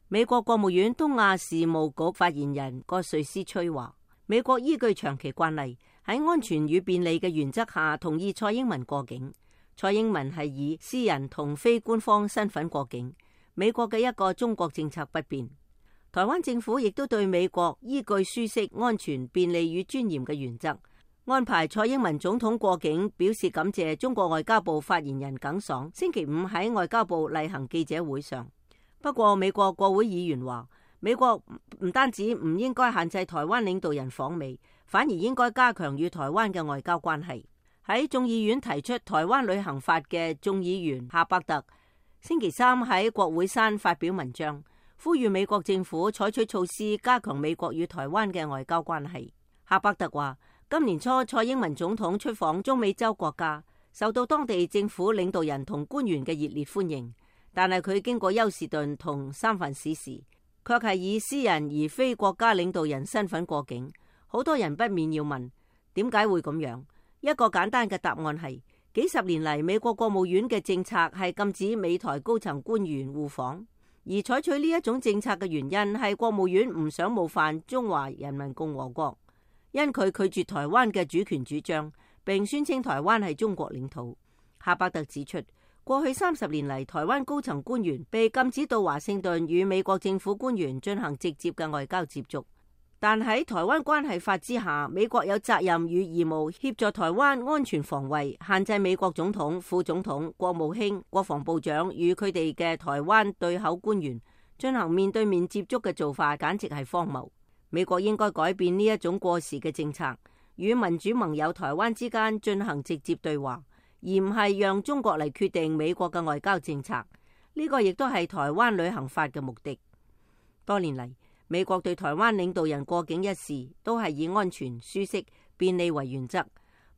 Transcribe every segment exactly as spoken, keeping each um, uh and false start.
美國國務院東亞事務局發言人葛瑞斯崔話，美國依據長期慣例，喺安全與便利嘅原則下同意蔡英文過境。蔡英文係以私人同非官方身份過境，美國嘅一個中國政策不變。台灣政府亦都對美國依據舒適、安全、便利與尊嚴嘅原則，安排蔡英文總統過境，表示感謝。中國外交部發言人耿爽星期五喺外交部例行記者會上，不過美國國會議員話，美國唔單止唔應該限制台灣領導人訪美，反而應該加強與台灣嘅外交關係。喺眾議院提出台灣旅行法嘅眾議員夏伯特星期三喺國會山發表文章，呼籲美國政府採取措施加強美國與台灣嘅外交關係。夏伯特話，今年初蔡英文總統出訪中美洲國家，受到當地政府領導人同官員嘅熱烈歡迎，但係佢經過休士頓同三藩市時，卻係以私人而非國家領導人身份過境。好多人不免要問，點解會咁樣？一個簡單嘅答案係，幾十年嚟美國國務院嘅政策係禁止美台高層官員互訪，而採取呢一種政策嘅原因係國務院唔想冒犯中華人民共和國，因佢拒絕台灣嘅主權主張，並宣稱台灣係中國領土。夏伯特指出，過去三十年嚟，台灣高層官員被禁止到華盛頓與美國政府官員進行直接嘅外交接觸。但喺台灣關係法之下，美國有責任與義務協助台灣安全防衛，限制美國總統、副總統、國務卿、國防部長與佢哋嘅台灣對口官員進行面對面接觸嘅做法，簡直係荒謬。美國應該改變呢一種過時嘅政策，與民主盟友台灣之間進行直接對話，而唔係讓中國嚟決定美國嘅外交政策。呢、這個亦都係台灣旅行法嘅目的。多年嚟，美國對台灣領導人過境一事都係以安全、舒適、便利為原則。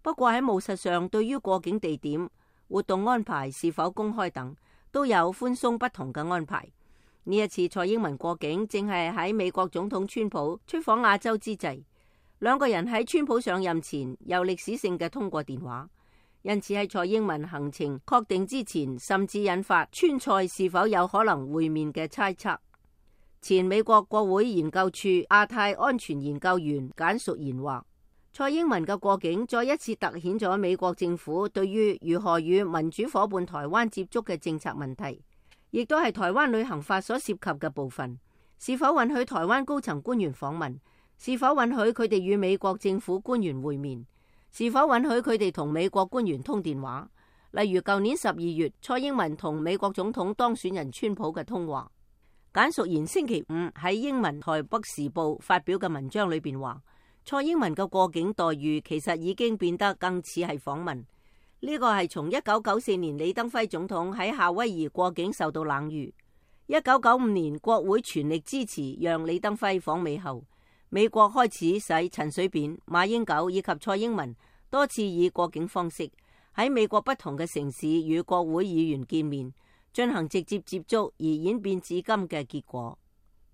不過喺務實上，對於過境地點、活動安排是否公開等，都有寬鬆不同嘅安排。呢一次蔡英文過境正係喺美國總統川普出訪亞洲之際，兩個人喺川普上任前有歷史性嘅通過電話，因此喺蔡英文行程確定之前，甚至引發川蔡是否有可能會面嘅猜測。前美國國會研究處亞太安全研究員簡淑賢話，蔡英文嘅過境再一次凸顯咗美國政府對於如何與民主夥伴台灣接觸嘅政策問題，亦都係台灣旅行法所涉及嘅部分。是否允許台灣高層官員訪問？是否允許佢哋與美國政府官員會面？是否允許佢哋同美國官員通電話？例如舊年十二月蔡英文同美國總統當選人川普嘅通話。簡淑賢星期五喺英文台北時報發表嘅文章裏邊話，蔡英文嘅過境待遇其實已經變得更似係訪問。呢個係從一九九四年李登輝總統喺夏威夷過境受到冷遇，一九九五年國會全力支持讓李登輝訪美後，美國開始使陳水扁、馬英九以及蔡英文多次以過境方式喺美國不同嘅城市與國會議員見面，進行直接接觸而演變至今嘅結果。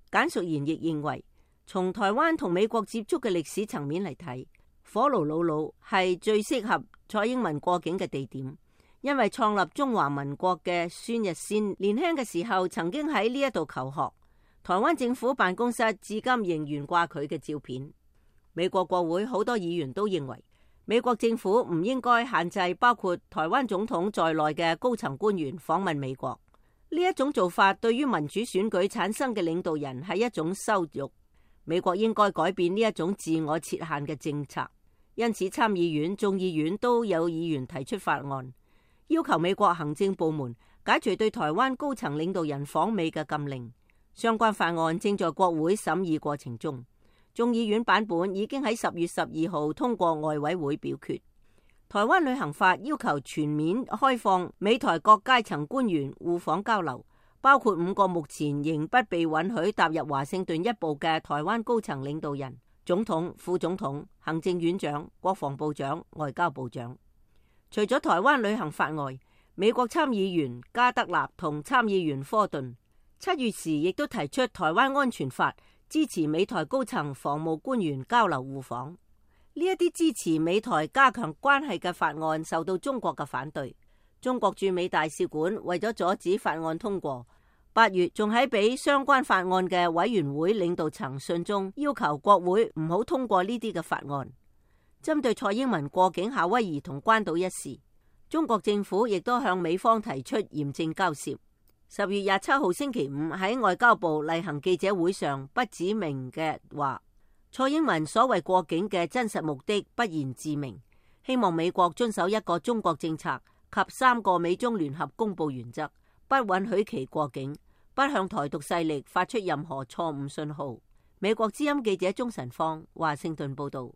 簡淑賢亦認為，從台灣同美國接觸嘅歷史層面嚟睇，火爐魯魯係最適合蔡英文過境嘅地點，因為創立中華民國嘅孫逸仙年輕嘅時候曾經喺呢一度求學，台灣政府辦公室至今仍懸掛佢嘅照片。美國國會好多議員都認為，美國政府唔應該限制包括台灣總統在內嘅高層官員訪問美國。呢一種做法對於民主選舉產生嘅領導人係一種羞辱。美國應該改變呢一種自我設限嘅政策。因此參議院、眾議院都有議員提出法案，要求美國行政部門解除對台灣高層領導人訪美嘅禁令。相關法案正在國會審議過程中。眾議院版本已經喺十月十二號通過外委會表決。台灣旅行法要求全面開放美台各階層官員互訪交流，包括五個目前仍不被允許踏入華盛頓一步嘅台灣高層領導人：總統、副總統、行政院長、國防部長、外交部長。除咗台灣旅行法外，美國參議員加德納同參議員科頓七月時亦都提出台灣安全法，支持美台高層防務官員交流互訪。呢一啲支持美台加強關係嘅法案受到中國嘅反對。中國駐美大使館為咗阻止法案通過，八月仲喺俾相關法案嘅委員會領導層信中，要求國會唔好通過呢啲嘅法案。針對蔡英文過境夏威夷同關島一事，中國政府亦都向美方提出嚴正交涉。十月廿七號星期五喺外交部例行記者會上，不指名嘅話，蔡英文所謂過境嘅真實目的不言自明，希望美國遵守一個中國政策及三個美中聯合公佈原則，不允許其過境，不向台獨勢力發出任何錯誤信號。美國之音記者鍾晨芳華盛頓報道。